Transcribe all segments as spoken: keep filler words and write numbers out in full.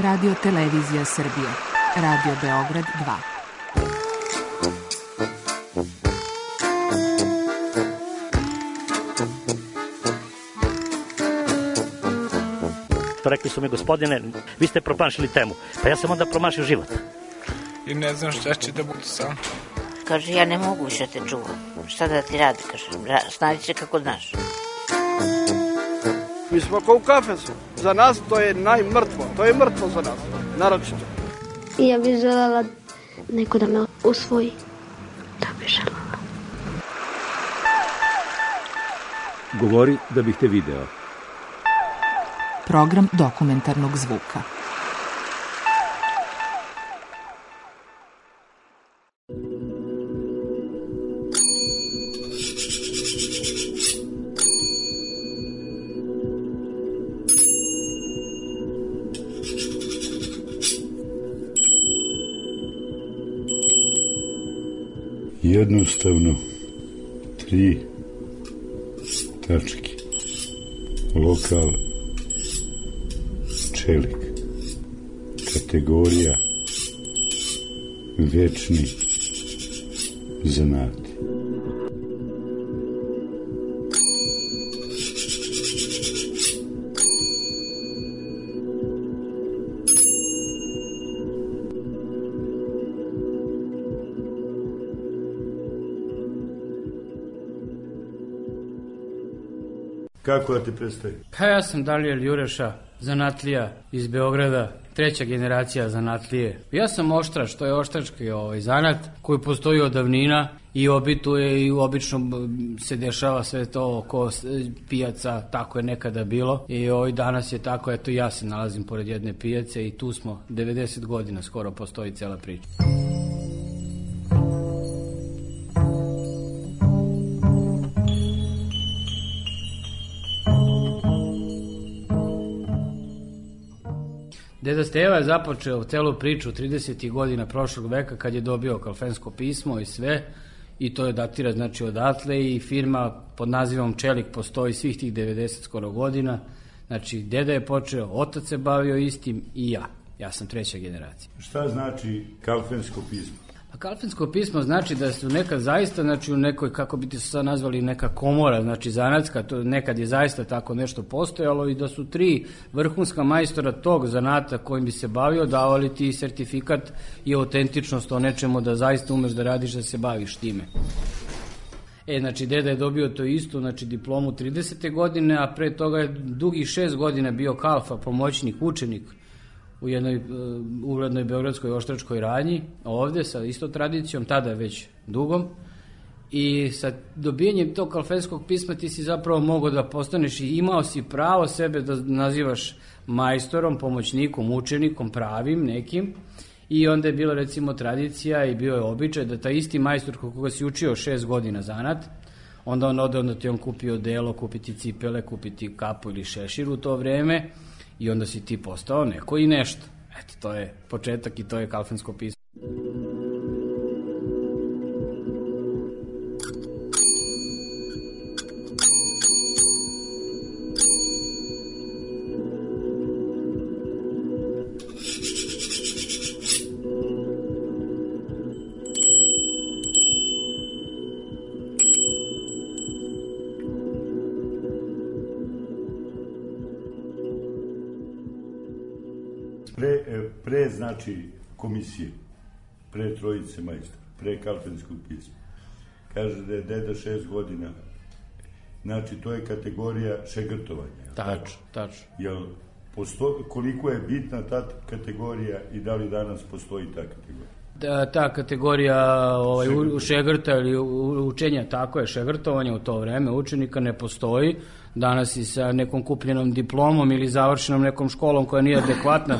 Radio Televizija Srbije, Radio Beograd dva. Rekli su mi, gospodine, vi ste promašili temu. Pa ja sam onda promašio život. I ne znam šta će da budu sam. Kaže, ja ne mogu više te čuvam. Šta da ti radi, kaže, snađi se kako znaš. Mi smo kao u kafesu. Za nas to je najmrtvo. To je mrtvo za nas, naročito. Ja bih želela neko da me usvoji. Da bih želela. Govori da bih te video. Program dokumentarnog zvuka. Jednostavno, tri tačke. Lokal, čelik, kategorija, večni zanati. Kako da ti predstavi? Pa ja sam Daniel Jureša, zanatlija iz Beograda, treća generacija zanatlije. Ja sam oštrač, to je oštrački ovaj zanat koji postoji od davnina i obituje i obično se dešava sve to oko pijaca, tako je nekada bilo i ovaj danas je tako, eto ja se nalazim pored jedne pijace i tu smo devedeset godina skoro postoji cela priča. Deda Steva je započeo celu priču tridesetih godina prošlog veka kad je dobio Kalfensko pismo i sve i to je datira znači odatle i firma pod nazivom Čelik postoji svih tih devedeset skoro godina. Znači deda je počeo, otac se bavio istim i ja. Ja sam treća generacija. Šta znači Kalfensko pismo? A Kalfensko pismo znači da su nekad zaista, znači u nekoj, kako bi ti se sad nazvali, neka komora, znači zanatska, to nekad je zaista tako nešto postojalo i da su tri vrhunska majstora tog zanata kojim bi se bavio davali ti sertifikat i autentičnost o nečemu da zaista umeš da radiš, da se baviš time. E, znači, deda je dobio to isto, znači diplomu tridesete godine, a pre toga je dugih šest godina bio kalfa, pomoćnik, učenik u jednoj uh, uglednoj beogradskoj oštračkoj radnji, ovde sa isto tradicijom, tada već dugom, i sa dobijanjem tog kalfenskog pisma ti si zapravo mogao da postaneš i imao si pravo sebe da nazivaš majstorom, pomoćnikom, učenikom, pravim nekim, i onda je bila recimo tradicija i bio je običaj da taj isti majstor koga si učio šest godina zanat, onda on ode, onda ti on kupio delo, kupiti cipele, kupiti kapu ili šešir u to vreme, i onda si ti postao neko i nešto. Eto, to je početak i to je Kalfensko pismo. Pre, pre znači komisije, pre trojice majstora, pre Kalfenskog pisma. Kaže da je deda šest godina, znači to je kategorija šegrtovanja. Tačno, tačno. Jel, posto, koliko je bitna ta kategorija i da li danas postoji ta kategorija? Da, ta kategorija ovaj, u, šegrta ili učenja, tako je, šegrtovanja u to vreme učenika ne postoji. Danas i sa nekom kupljenom diplomom ili završenom nekom školom koja nije adekvatna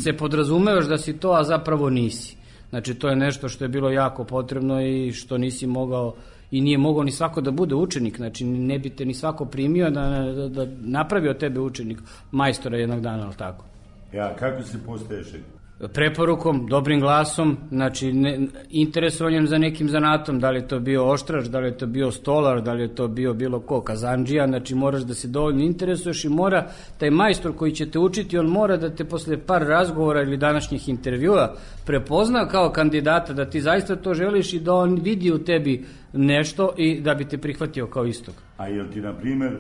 se podrazumevaš da si to, a zapravo nisi. Znači to je nešto što je bilo jako potrebno i što nisi mogao i nije mogao ni svako da bude učenik, znači ne bi te ni svako primio da, da, da napravi od tebe učenik, majstora jednog dana, ali tako. Ja, kako se postaje šegrt? preporukom, dobrim glasom, znači ne, interesovanjem za nekim zanatom, da li je to bio oštrač, da li je to bio stolar, da li je to bio bilo ko, kazandžija, znači moraš da se dovoljno interesuješ i mora, taj majstor koji će te učiti, on mora da te posle par razgovora ili današnjih intervjua prepozna kao kandidata, da ti zaista to želiš i da on vidi u tebi nešto i da bi te prihvatio kao istog. A jel ti, na primer,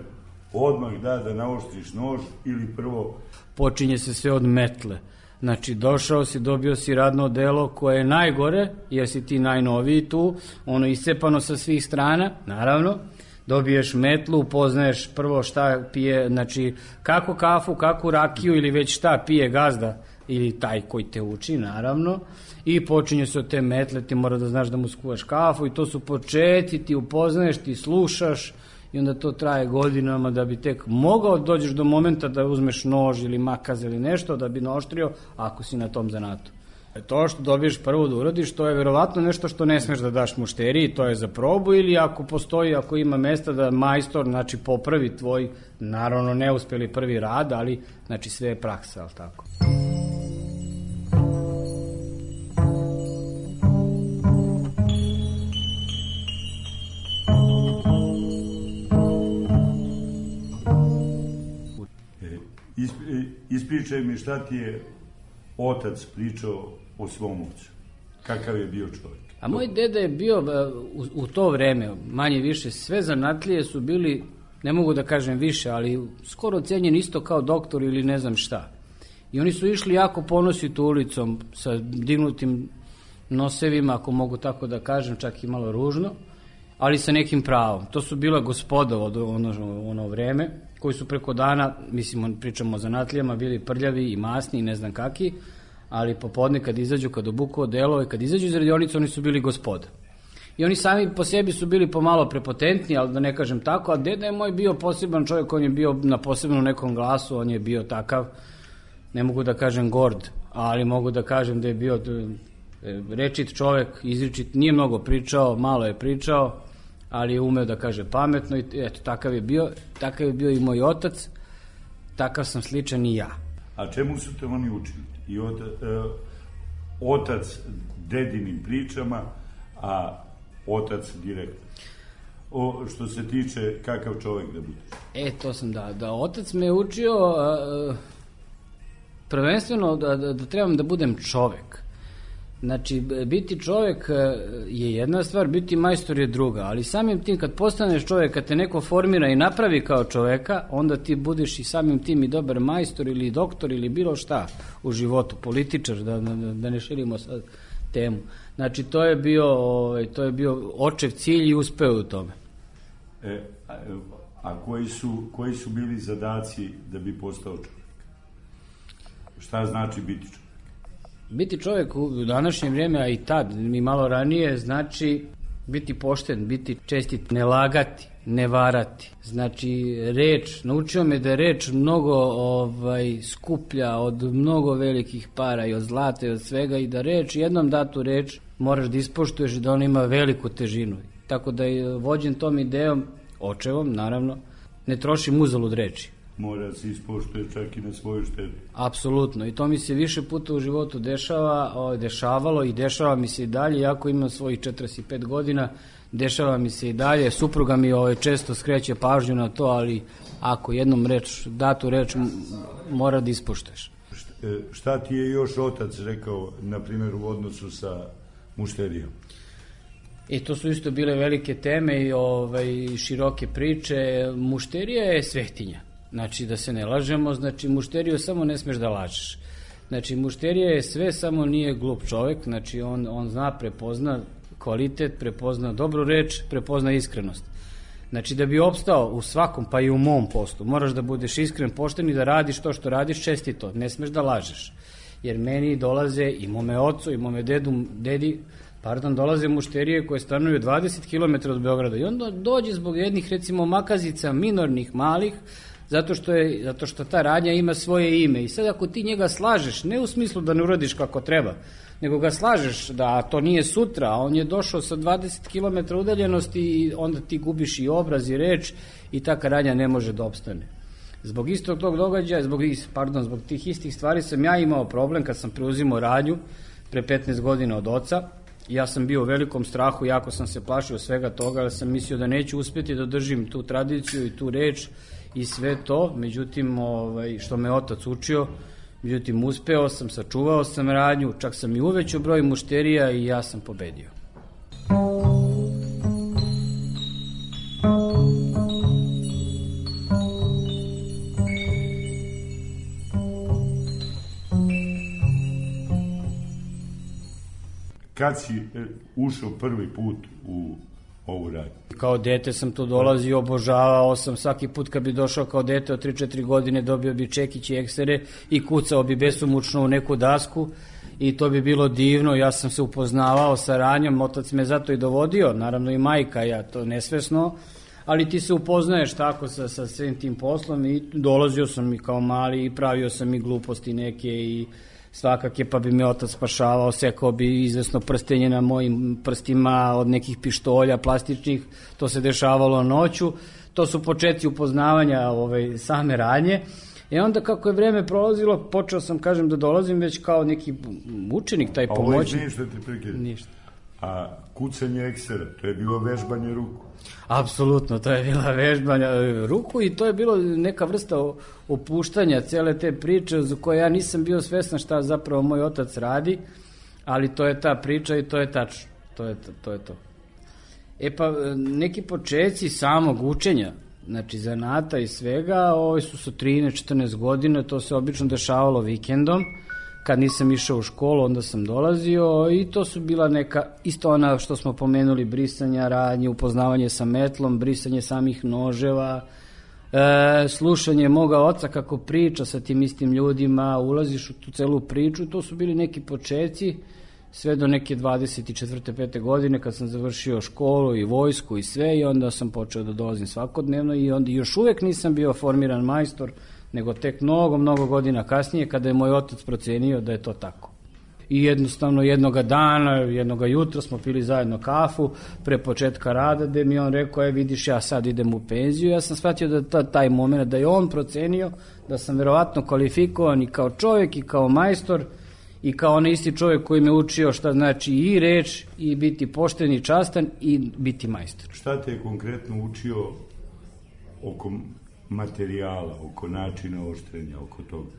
odmah da da naoštriš nož ili prvo? Počinje se sve od metle. Znači, došao si, dobio si radno delo koje je najgore, jer si ti najnoviji tu, ono iscepano sa svih strana, naravno, dobiješ metlu, upoznaješ prvo šta pije, znači, kako kafu, kako rakiju ili već šta pije gazda ili taj koji te uči, naravno, i počinje se od te metle, ti mora da znaš da mu skuvaš kafu i to su početi, ti upoznaješ, ti slušaš, i onda to traje godinama da bi tek mogao dođeš do momenta da uzmeš nož ili makaz ili nešto da bi naoštrio ako si na tom zanatu. To što dobiješ prvo da uradiš, to je verovatno nešto što ne smeš da daš mušteriji, to je za probu ili ako postoji, ako ima mesta da majstor, znači popravi tvoj, naravno neuspeli prvi rad, ali znači sve je praksa, ali tako. Ispričaj mi šta ti je otac pričao o svom ocu. Kakav je bio čovjek? A moj deda je bio u, u to vreme, manje više, sve zanatlije su bili, ne mogu da kažem više, ali skoro ocenjeni isto kao doktor ili ne znam šta. I oni su išli jako ponositi ulicom sa dignutim nosevima, ako mogu tako da kažem, čak i malo ružno, ali sa nekim pravom. To su bila gospoda od ono, ono vreme, koji su preko dana, mislim, pričamo o zanatlijama, bili prljavi i masni i ne znam kaki, ali popodne kad izađu, kad obuku odelo i kad izađu iz radionice, oni su bili gospoda. I oni sami po sebi su bili pomalo prepotentni, ali da ne kažem tako, a deda je moj bio poseban čovjek, on je bio na posebnom nekom glasu, on je bio takav, ne mogu da kažem gord, ali mogu da kažem da je bio rečit čovjek, izričit, nije mnogo pričao, malo je pričao, ali je umeo da kaže pametno i eto, takav je bio, takav je bio i moj otac, takav sam sličan i ja. A čemu su te oni učili? I od, e, otac dedinim pričama, a otac direktno. O, što se tiče kakav čovjek da budeš? E, to sam da, da otac me učio a, prvenstveno da, da, da trebam da budem čovjek. Znači, biti čovjek je jedna stvar, biti majstor je druga, ali samim tim kad postaneš čovjek, kad te neko formira i napravi kao čovjeka, onda ti budeš i samim tim i dobar majstor ili doktor ili bilo šta u životu, političar, da, da, da ne širimo sad temu. Znači, to je bio, to je bio očev cilj i uspeo u tome. E, a, a koji su, koji su bili zadaci da bi postao čovjek? Šta znači biti čovjek? Biti čovjek u današnje vrijeme, a i tad, i malo ranije, znači biti pošten, biti čestit, ne lagati, ne varati. Znači, reč, naučio me da je reč mnogo ovaj, skuplja od mnogo velikih para i od zlata i od svega i da reč, jednom datu reč, moraš da ispoštuješ i da ona ima veliku težinu. Tako da je vođen tom idejom, očevom, naravno, ne trošim uzalud reči. Mora se ispoštuje čak i na svoju štetu. Apsolutno, i to mi se više puta u životu dešava, o, dešavalo i dešava mi se i dalje, iako imam svojih četrdeset pet godina, dešava mi se i dalje, supruga mi ovaj, često skreće pažnju na to, ali ako jednom reč, datu reč mora da ispoštuješ. Šta ti je još otac rekao, na primjer, u odnosu sa mušterijom? I to su isto bile velike teme i ovaj, široke priče. Mušterija je svetinja. Znači, da se ne lažemo, znači, mušteriju samo ne smeš da lažeš. Znači, mušterija je sve, samo nije glup čovjek, znači, on, on zna, prepozna kvalitet, prepozna dobru reč, prepozna iskrenost. Znači, da bi opstao u svakom, pa i u mom poslu, moraš da budeš iskren, pošten i da radiš to što radiš čestito, ne smeš da lažeš. Jer meni dolaze i mome ocu i mome dedu, dedi, pardon, dolaze mušterije koje stanuju dvadeset kilometara od Beograda i onda dođe zbog jednih, recimo, makazica minornih, malih, zato što, je, zato što ta radnja ima svoje ime. I sad ako ti njega slažeš, ne u smislu da ne uradiš kako treba, nego ga slažeš da to nije sutra, a on je došao sa dvadeset kilometara udaljenosti i onda ti gubiš i obraz i reč i ta radnja ne može da opstane. Zbog istog tog događaja, zbog, pardon, zbog tih istih stvari sam ja imao problem kad sam preuzimao radnju pre petnaest godina od oca. Ja sam bio u velikom strahu, jako sam se plašio svega toga, ali sam mislio da neću uspjeti da držim tu tradiciju i tu reč i sve to, međutim, ovaj, što me otac učio, međutim, uspeo sam, sačuvao sam radnju, čak sam i uvećao broj mušterija i ja sam pobedio. Kad si ušao prvi put u ovu radnju? Kao dete sam tu dolazio, obožavao sam, svaki put kad bi došao kao dete od tri četiri godine dobio bi čekić i eksere i kucao bi besomučno u neku dasku i to bi bilo divno, ja sam se upoznavao sa radnjom, otac me zato i dovodio, naravno i majka, ja to nesvesno, ali ti se upoznaješ tako sa, sa svim tim poslom i dolazio sam i kao mali i pravio sam i gluposti neke i svakake, pa bi me otac spašavao, sekao bi izvesno prstenje na mojim prstima od nekih pištolja plastičnih, to se dešavalo noću, to su početci upoznavanja ove, same radnje. I onda kako je vreme prolazilo, počeo sam, kažem, da dolazim već kao neki učenik, taj pomoćnik. A ovo je ništa ti prekida? Ništa. A kucanje eksera, to je bilo vežbanje ruku? Apsolutno, to je bila vežbanja ruku i to je bilo neka vrsta opuštanja cele te priče za koje ja nisam bio svestan šta zapravo moj otac radi, ali to je ta priča i to je tačno, to je to. to, je to. E pa, neki početci samog učenja, znači zanata i svega, ovi su sa trinaest četrnaest godina, to se obično dešavalo vikendom, kad nisam išao u školu, onda sam dolazio i to su bila neka, isto ona što smo pomenuli, brisanja radnje, upoznavanje sa metlom, brisanje samih noževa, e, slušanje moga oca kako priča sa tim istim ljudima, ulaziš u tu celu priču, to su bili neki početci, sve do neke dvadeset četvrte pete godine kad sam završio školu i vojsku i sve i onda sam počeo da dolazim svakodnevno i onda još uvek nisam bio formiran majstor, nego tek mnogo, mnogo godina kasnije kada je moj otac procenio da je to tako. I jednostavno jednoga dana, jednoga jutra smo pili zajedno kafu pre početka rada, gde mi on rekao, je vidiš, ja sad idem u penziju. Ja sam shvatio da ta, taj moment, da je on procenio da sam verovatno kvalifikovan i kao čovjek i kao majstor i kao onaj isti čovjek koji me učio šta znači i reč i biti pošten i častan i biti majstor. Šta te je konkretno učio oko materijala, oko načina oštrenja, oko toga?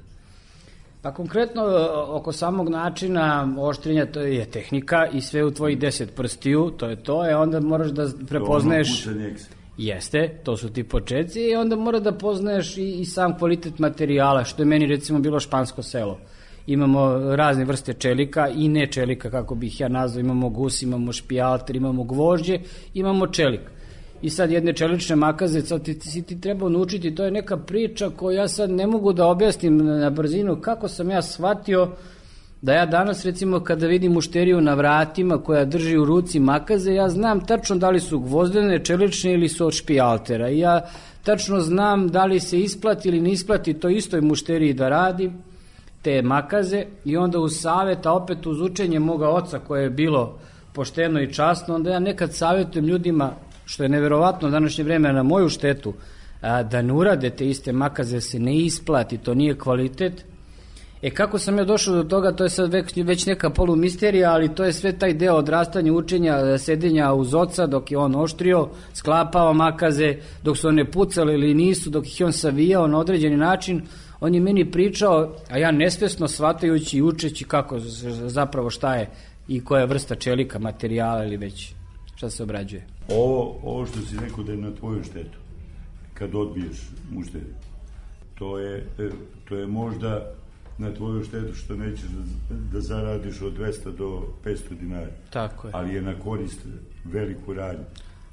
Pa konkretno oko samog načina oštrenja to je tehnika i sve u tvojih deset prstiju, to je to, e onda moraš da prepoznaješ... To ono kucanje eksera. Jeste, to su ti početci i onda mora da poznaješ i, i sam kvalitet materijala, što je meni recimo bilo špansko selo. Imamo razne vrste čelika i ne čelika, kako bih ja nazvao, imamo gus, imamo špijalter, imamo gvožđe, imamo čelik. I sad jedne čelične makaze, sad ti, ti, ti treba naučiti, to je neka priča koju ja sad ne mogu da objasnim na brzinu, kako sam ja shvatio da ja danas recimo kada vidim mušteriju na vratima koja drži u ruci makaze, ja znam tačno da li su gvozdene, čelične ili su od špijaltera i ja tačno znam da li se isplati ili ne isplati to istoj mušteriji da radi te makaze i onda uz savjet, a opet uz učenje moga oca koje je bilo pošteno i časno, onda ja nekad savjetujem ljudima, što je neverovatno u današnje vreme na moju štetu, a, da ne urade te iste makaze, se ne isplati, to nije kvalitet. E kako sam ja došao do toga, to je sad već, već neka polumisterija, ali to je sve taj deo odrastanja, učenja, sedenja uz oca dok je on oštrio, sklapao makaze, dok su one pucali ili nisu, dok ih on savijao na određeni način. On je meni pričao, a ja nesvesno shvatajući i učeći kako zapravo šta je i koja je vrsta čelika, materijala ili već šta se obrađuje. Ovo, ovo što si rekao da je na tvoju štetu, kad odbiješ mušteriju, to je, to je možda na tvoju štetu što nećeš da, da zaradiš od dvesta do petsto dinara. Tako je. Ali je na korist veliku radnju.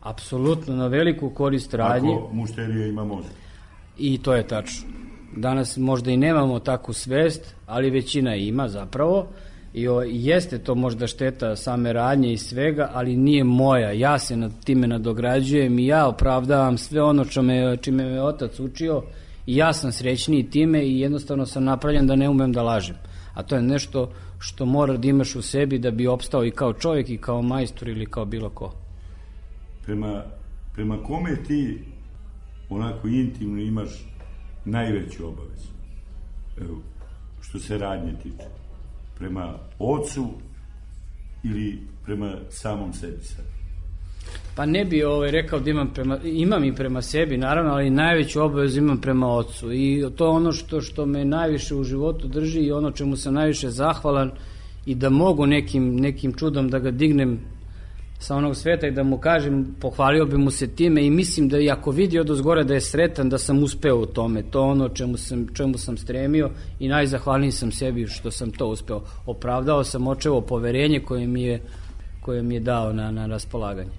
Apsolutno na veliku korist radnje. Ako mušterija ima mozak. I to je tačno. Danas možda i nemamo takvu svest, ali većina ima zapravo. I o, jeste to možda šteta same radnje i svega, ali nije moja. Ja se nad time nadograđujem i ja opravdavam sve ono čime, čime me otac učio i ja sam srećniji time i jednostavno sam napravljen da ne umem da lažem. A to je nešto što mora da imaš u sebi da bi opstao i kao čovjek i kao majstor ili kao bilo ko. Prema, prema kome ti onako intimno imaš najveću obavezu, evo, što se radnje tiče, prema ocu ili prema samom sebi sad? Pa ne bi ovaj rekao da imam prema, imam i prema sebi, naravno, ali najveću obavezu imam prema ocu. I to je ono što, što me najviše u životu drži i ono čemu sam najviše zahvalan i da mogu nekim, nekim čudom da ga dignem sa onog sveta i da mu kažem, pohvalio bi mu se time i mislim da i ako vidi odozgore da je sretan, da sam uspeo u tome. To ono čemu sam, čemu sam stremio i najzahvalniji sam sebi što sam to uspeo. Opravdao sam očevo poverenje koje mi je, koje mi je dao na, na raspolaganje.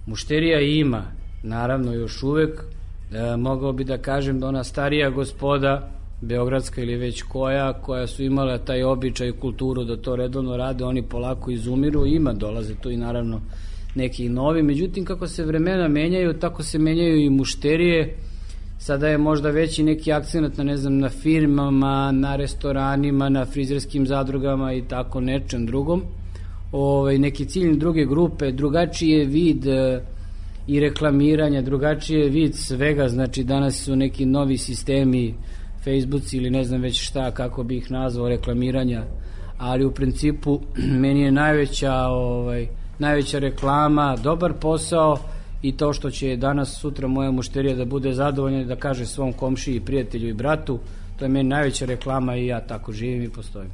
Mušterija ima, naravno još uvek, e, mogao bi da kažem da ona starija gospoda, beogradska ili već koja, koja su imala taj običaj i kulturu da to redovno rade, oni polako izumiru, ima, dolaze tu i naravno neki novi, međutim kako se vremena menjaju, tako se menjaju i mušterije. Sada je možda veći neki akcenat na, ne znam, na firmama, na restoranima, na frizerskim zadrugama i tako nečem drugom. Ovaj, neki ciljni druge grupe, drugačiji je vid e, i reklamiranja, drugačiji je vid svega, znači danas su neki novi sistemi, Facebooci ili ne znam već šta, kako bi ih nazvao, reklamiranja, ali u principu meni je najveća, ovaj, najveća reklama, dobar posao i to što će danas sutra moja mušterija da bude zadovoljna da kaže svom komšiji, prijatelju i bratu, to je meni najveća reklama i ja tako živim i postojim.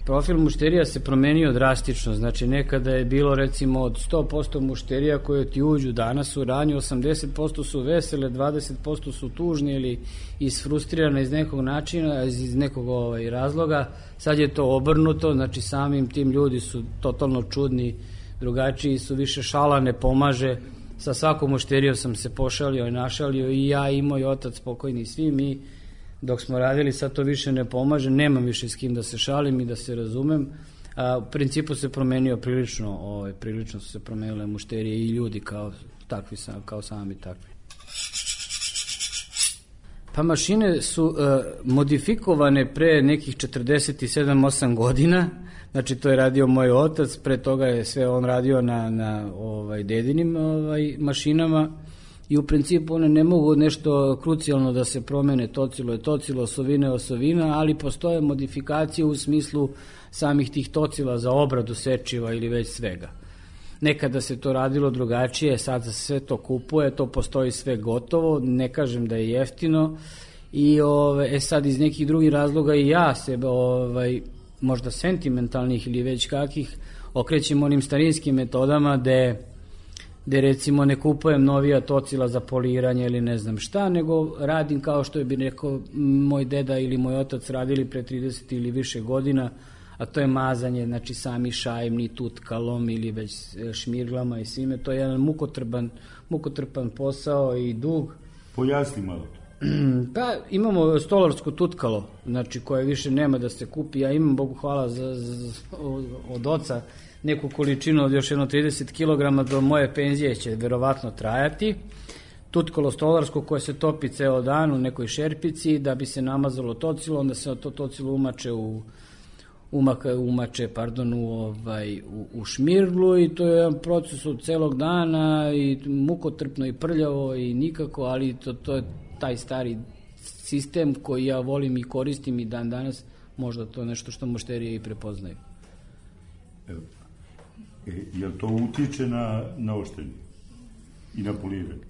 Profil mušterija se promenio drastično, znači nekada je bilo recimo od sto posto mušterija koje ti uđu danas u ranju, osamdeset posto su vesele, dvadeset posto su tužni ili isfrustrirane iz nekog načina, iz nekog ovaj, razloga. Sad je to obrnuto, znači samim tim ljudi su totalno čudni, drugačiji su, više šala ne pomaže. Sa svakom mušterijom sam se pošalio i našalio i ja i moj otac pokojni i svi mi. Dok smo radili, sad to više ne pomaže, nemam više s kim da se šalim i da se razumem. A, u principu se promenio prilično, ovaj, prilično su se promenile mušterije i ljudi kao, takvi, kao sami takvi. Pa mašine su uh, modifikovane pre nekih četrdeset sedam osam godina, znači to je radio moj otac, pre toga je sve on radio na, na ovaj, dedinim ovaj, mašinama. I u principu one ne mogu nešto krucijalno da se promene, tocilo je tocilo, osovina je osovina, ali postoje modifikacije u smislu samih tih tocila za obradu sečiva ili već svega. Nekada se to radilo drugačije, sad se sve to kupuje, to postoji sve gotovo, ne kažem da je jeftino i ove, e sad iz nekih drugih razloga i ja se ovaj, možda sentimentalnih ili već kakih okrećem onim starinskim metodama gde gde recimo ne kupujem novija tocila za poliranje ili ne znam šta, nego radim kao što je bi rekao moj deda ili moj otac radili pre trideset ili više godina, a to je mazanje, znači sami šajmni tutkalom ili već šmirglama i svime, to je jedan mukotrpan, mukotrpan posao i dug. Pojasni malo. Pa imamo stolarsko tutkalo, znači koje više nema da se kupi, ja imam, Bogu hvala, za, za, od oca neku količinu od još jedno trideset kilograma, do moje penzije će verovatno trajati. Tutkalo stolarsko koje se topi ceo dan u nekoj šerpici da bi se namazalo tocilo, onda se to tocilo umače u umaka, umače, pardon, u, ovaj, u, u šmirglu i to je jedan proces od celog dana i mukotrpno i prljavo i nikako, ali to, to je taj stari sistem koji ja volim i koristim i dan danas, možda to je nešto što mušterije i prepoznaju. Evo. E, jel to utiče na, na oštrenje i na poliranje?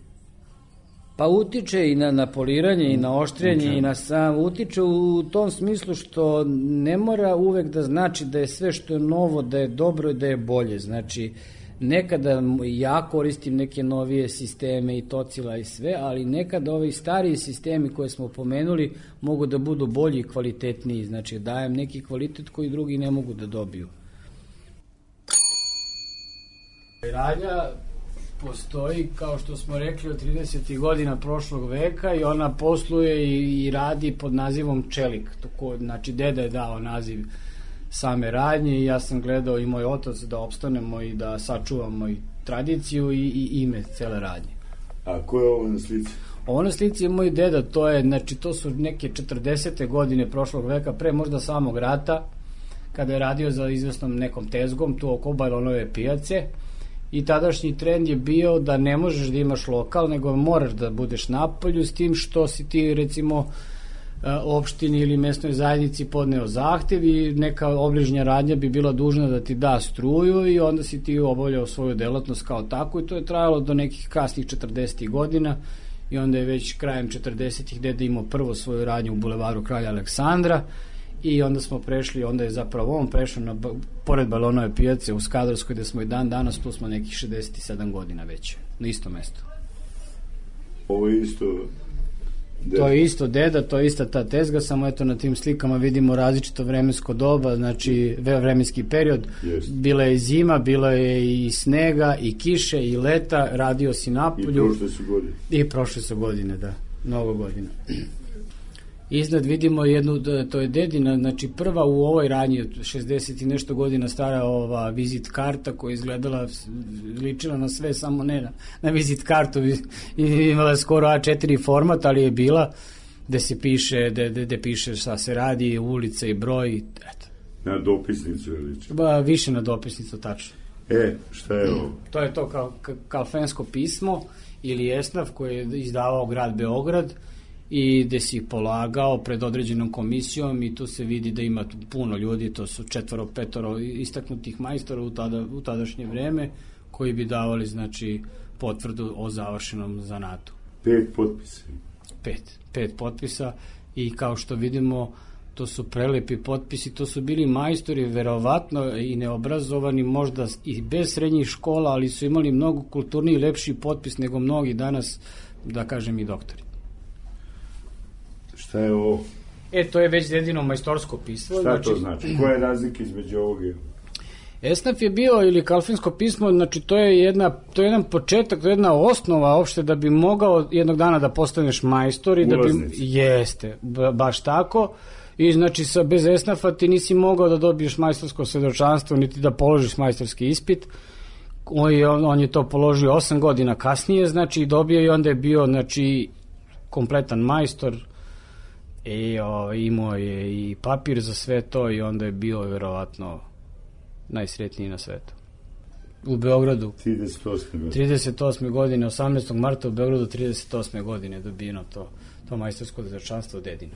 Pa utiče i na, na poliranje i na oštrenje Učen. i na sam, utiče u tom smislu što ne mora uvek da znači da je sve što je novo, da je dobro i da je bolje. Znači, nekada ja koristim neke novije sisteme i tocila i sve, ali nekada ovi stariji sistemi koje smo pomenuli mogu da budu bolji i kvalitetniji. Znači, dajem neki kvalitet koji drugi ne mogu da dobiju. Radnja postoji, kao što smo rekli, od tridesetih godina prošlog veka i ona posluje i, i radi pod nazivom Čelik. Toko, znači, deda je dao naziv same radnje i ja sam gledao i moj otac da opstanemo i da sačuvamo i tradiciju i, i ime cele radnje. A ko je ovo na slici? Ovo na slici je moj deda, to je, znači, to su neke četrdesete godine prošlog veka, pre možda samog rata, kada je radio za izvesnom nekom tezgom tu oko Balonove pijace i tadašnji trend je bio da ne možeš da imaš lokal, nego moraš da budeš napolju, s tim što si ti recimo opštini ili mesnoj zajednici podneo zahtev i neka obližnja radnja bi bila dužna da ti da struju i onda si ti obavljao svoju delatnost kao tako i to je trajalo do nekih kasnih četrdesetih godina i onda je već krajem četrdesetih deda imao prvo svoju radnju u bulevaru Kralja Aleksandra i onda smo prešli, onda je zapravo on prešao na, pored Balonove pijace u Skadarskoj gde smo i dan danas, tu smo nekih šezdeset sedam godina već, na istom mestu. Ovo je isto deda. To je isto deda, to je ista ta tezga, samo eto na tim slikama vidimo različito vremensko doba, znači vremenski period. Yes. Bila je zima, bila je i snega, i kiše, i leta, radio si napolju. I prošle su godine. I prošle su godine, da, mnogo godina. Iznad vidimo jednu, to je dedina, znači prva u ovoj radnji, šezdeset i nešto godina stara ova vizit karta koja je izgledala, ličila na sve, samo ne na, na vizit kartu, imala skoro A četiri format, ali je bila gde se piše, gde piše šta se radi, ulica i broj, eto. Na dopisnicu je liči? Ba, više na dopisnicu, tačno. E, šta je ovo? To je to kao kalfensko pismo ili esnaf koje je izdavao grad Beograd, i gde si polagao pred određenom komisijom i tu se vidi da ima puno ljudi, to su četvoro, petoro istaknutih majstora u, tada, u tadašnje vreme koji bi davali znači potvrdu o završenom zanatu. Pet potpisa. Pet, pet potpisa i kao što vidimo to su prelepi potpisi, to su bili majstori verovatno i neobrazovani možda i bez srednjih škola, ali su imali mnogo kulturniji i lepši potpis nego mnogi danas, da kažem i doktori. Šta je ovo? E, to je već dedino majstorsko pismo. Šta znači, to znači? Koja je razlika između ovoga? Esnaf je bio, ili kalfinsko pismo, znači to je, jedna, to je jedan početak, to je jedna osnova opšte da bi mogao jednog dana da postaneš majstor. I da bi, jeste, baš tako. I znači sa, bez esnafa ti nisi mogao da dobiješ majstorsko svedočanstvo, niti da položiš majstorski ispit. On je, on je to položio osam godina kasnije, znači dobio i onda je bio znači kompletan majstor. I o, imao je i papir za sve to i onda je bio verovatno najsretniji na svetu. U Beogradu. trideset osme godine. trideset osme godine, osamnaestog marta u Beogradu trideset osme godine dobijeno to, to majstorsko svedočanstvo dedino.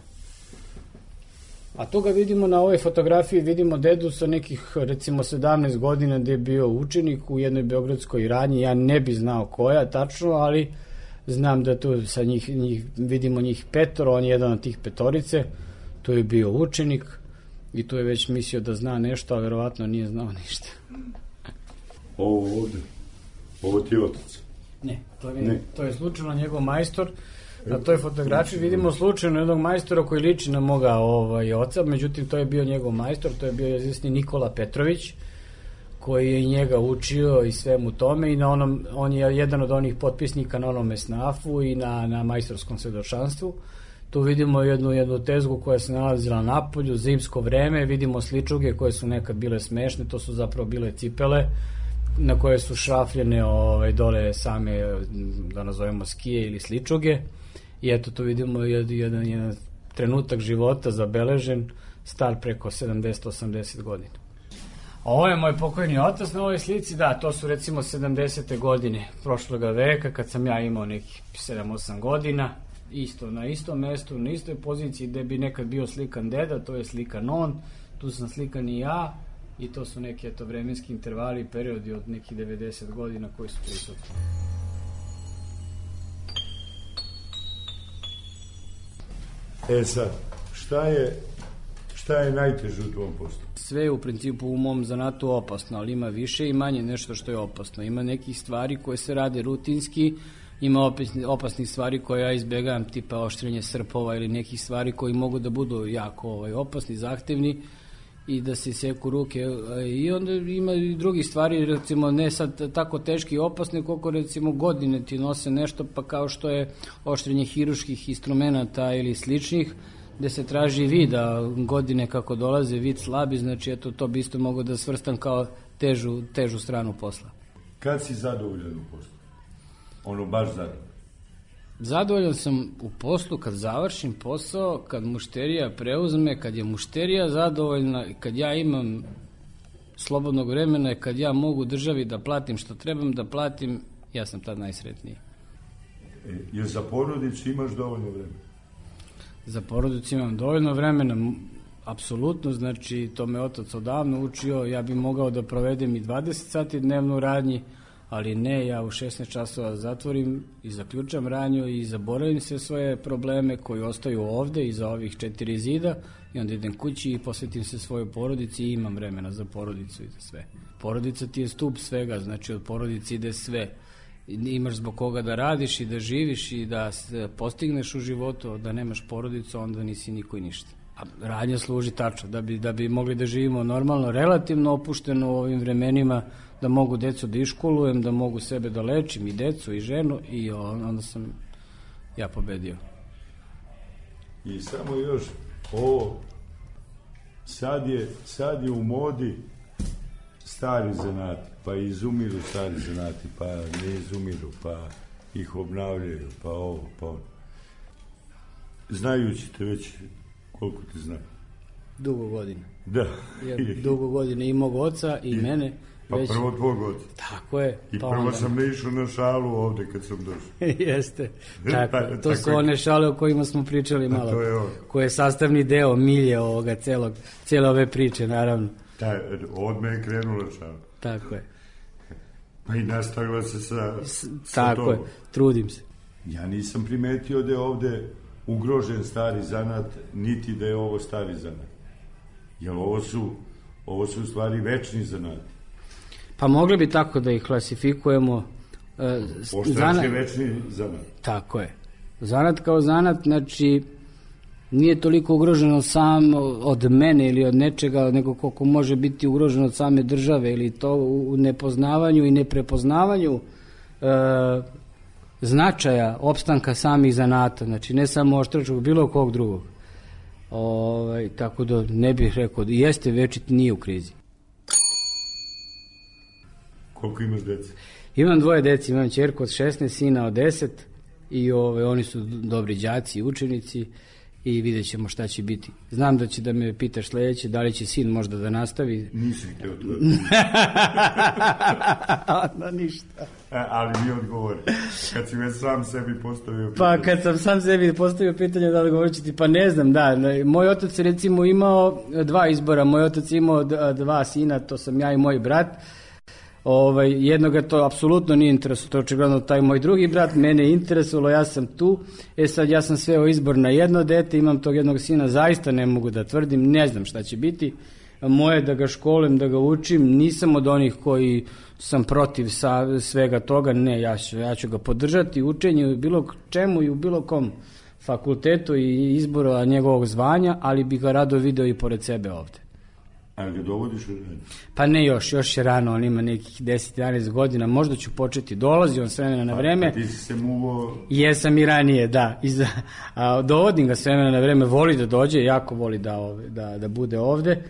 A to ga vidimo na ovoj fotografiji, vidimo dedu sa nekih recimo sedamnaest godina gde je bio učenik u jednoj beogradskoj radnji, ja ne bi znao koja tačno, ali znam da tu sa njih, njih, vidimo njih petoro, on je jedan od tih petorice, tu je bio učenik i tu je već mislio da zna nešto, a verovatno nije znao ništa. Ovo ovde, ovo ti je otac? Ne, to je, ne. To je slučajno njegov majstor, na toj fotografiji vidimo slučajno jednog majstora koji liči na moga ovaj, oca, međutim to je bio njegov majstor, to je bio izvesni Nikola Petrović, koji je i njega učio i svemu tome i na onom, on je jedan od onih potpisnika na onom esnafu i na, na majstorskom svedočanstvu. Tu vidimo jednu, jednu tezgu koja se nalazila na polju, zimsko vreme, vidimo sličuge koje su nekad bile smešne, to su zapravo bile cipele na koje su šrafljene ovaj, dole same, da nazovemo skije ili sličuge i eto tu vidimo jedan, jedan, jedan trenutak života zabeležen, star preko sedamdeset osamdeset godina. Ovo je moj pokojni otac na ovoj slici, da, to su recimo sedamdesete godine prošloga veka, kad sam ja imao nekih sedam osam godina, isto na istom mestu, na istoj poziciji gde bi nekad bio slikan deda, to je slikan on, tu sam slikan i ja, i to su neki eto vremenski intervali i periodi od nekih devedeset godina koji su prisutni. E sad, šta je, šta je najteže u tvom poslu? Sve je u principu u mom zanatu opasno, ali ima više i manje nešto što je opasno. Ima nekih stvari koje se rade rutinski, ima opasnih stvari koje ja izbegavam, tipa oštrenje srpova ili nekih stvari koji mogu da budu jako ovaj, opasni, zahtevni i da se seku ruke. I onda ima i drugih stvari, recimo ne sad tako teški i opasne, koliko recimo godine ti nose nešto, pa kao što je oštrenje hiruških instrumenta ili sličnih, gde se traži vid, a godine kako dolaze vid slabi, znači eto to bi isto mogo da svrstam kao težu, težu stranu posla. Kad si zadovoljan u poslu? Ono baš zadovoljan? Zadovoljan sam u poslu kad završim posao, kad mušterija preuzme, kad je mušterija zadovoljna, kad ja imam slobodnog vremena i kad ja mogu državi da platim što trebam da platim, ja sam tad najsretniji. E, jer za porodicu imaš dovoljno vremena? Za porodicu imam dovoljno vremena, apsolutno, znači to me otac odavno učio, ja bi mogao da provedem i dvadeset sati dnevno u radnji, ali ne, ja u šesnaest časova zatvorim i zaključam radnju i zaboravim sve svoje probleme koji ostaju ovde iza ovih četiri zida i onda idem kući i posvetim se svojoj porodici i imam vremena za porodicu i za sve. Porodica ti je stup svega, znači od porodice ide sve. Imaš zbog koga da radiš i da živiš i da postigneš u životu, da nemaš porodicu, onda nisi niko i ništa. A radnja služi tačno, da bi, da bi mogli da živimo normalno, relativno opušteno u ovim vremenima, da mogu decu da iškolujem, da mogu sebe da lečim i decu i ženu i onda sam ja pobedio. I samo još ovo, sad je, sad je u modi stari zanati, pa izumiru stari zanati, pa ne izumiru, pa ih obnavljaju, pa ovo, pa ono. Znajući te već koliko ti znaju? Dugo godina. Da. Ja, dugo godina i mog oca i, I mene. Pa već... prvo tvog oca. Tako je. I pa prvo onda... sam ne išao na šalu ovde kad sam došao. Jeste. Tako, pa, to tako su je. one šale o kojima smo pričali malo. To je ovo. Koje je sastavni deo milje ovoga celog, cijele ove priče, naravno. Ta, od me je krenula šala. Tako je. Pa i nastavila se sa, S, sa tako tobom. je, trudim se. Ja nisam primetio da je ovde ugrožen stari zanat, niti da je ovo stari zanat. Jer ovo su, ovo su u stvari večni zanati. Pa mogli bi tako da ih klasifikujemo. Poštač je večni zanat. Tako je. Zanat kao zanat, znači, nije toliko ugroženo sam od mene ili od nečega, nego koliko može biti ugroženo od same države ili to u nepoznavanju i neprepoznavanju e, značaja opstanka samih zanata, znači ne samo oštračkog, bilo kog drugog. Ovaj, tako da ne bih rekao, jeste večiti, nije u krizi. Koliko imaš dece? Imam dvoje deci, imam ćerku od šesnaest, sina od deset i ove, oni su dobri đaci i učenici i vidjet ćemo šta će biti. Znam da će da me pitaš sledeće, da li će sin možda da nastavi. Nisam htio to. Da, ništa. A, ali mi odgovori. Kad si već sam sebi postavio pitanje. Pa kad sam sam sebi postavio pitanje da li govorit ću ti, pa ne znam, da. Moj otac recimo imao dva izbora. Moj otac imao dva sina, to sam ja i moj brat. Ovaj, jednoga to apsolutno nije interesovalo, to je očigledno taj moj drugi brat, mene je interesovalo, ja sam tu, e sad ja sam sveo izbor na jedno dete, imam tog jednog sina, zaista ne mogu da tvrdim, ne znam šta će biti, moje da ga školim, da ga učim, nisam od onih koji sam protiv sa, svega toga, ne, ja ću, ja ću ga podržati, učenje u bilo čemu i u bilo kom fakultetu i izboru njegovog zvanja, ali bih ga rado video i pored sebe ovde. Ali ga dovodiš u rad? Pa ne još, još je rano, on ima nekih deset jedanaest godina, možda ću početi, dolazi on s vremena na vreme. Pa ti si se muvo... Jesam i ranije, da. Iza, a, dovodim ga s vremena na vreme, voli da dođe, jako voli da, ove, da, da bude ovde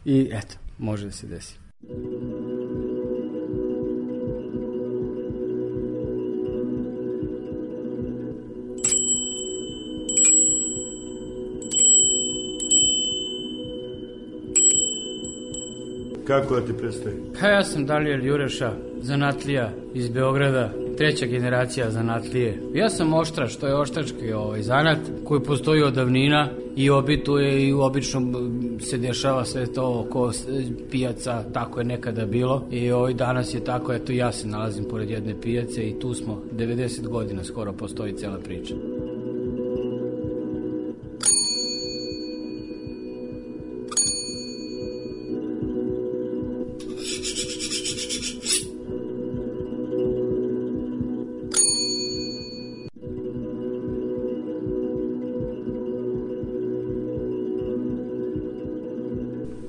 i eto, može da se desi. Kako da ti predstavim? Pa ja sam Dalijel Jureša, zanatlija iz Beograda, treća generacija zanatlije. Ja sam oštrač, to je oštrački ovaj zanat koji postoji od davnina i obituje i obično se dešava sve to oko pijaca, tako je nekada bilo i ovaj danas je tako, eto ja se nalazim pored jedne pijace i tu smo, devedeset godina skoro postoji cela priča.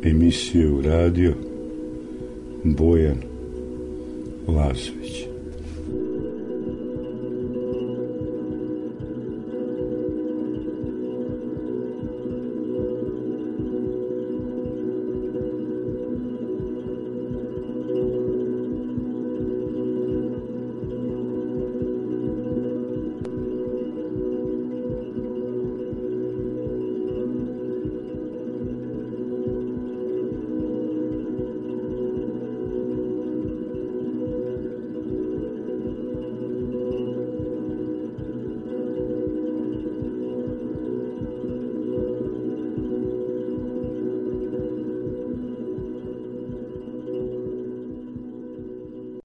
Emisiju radio Bojan Lazović.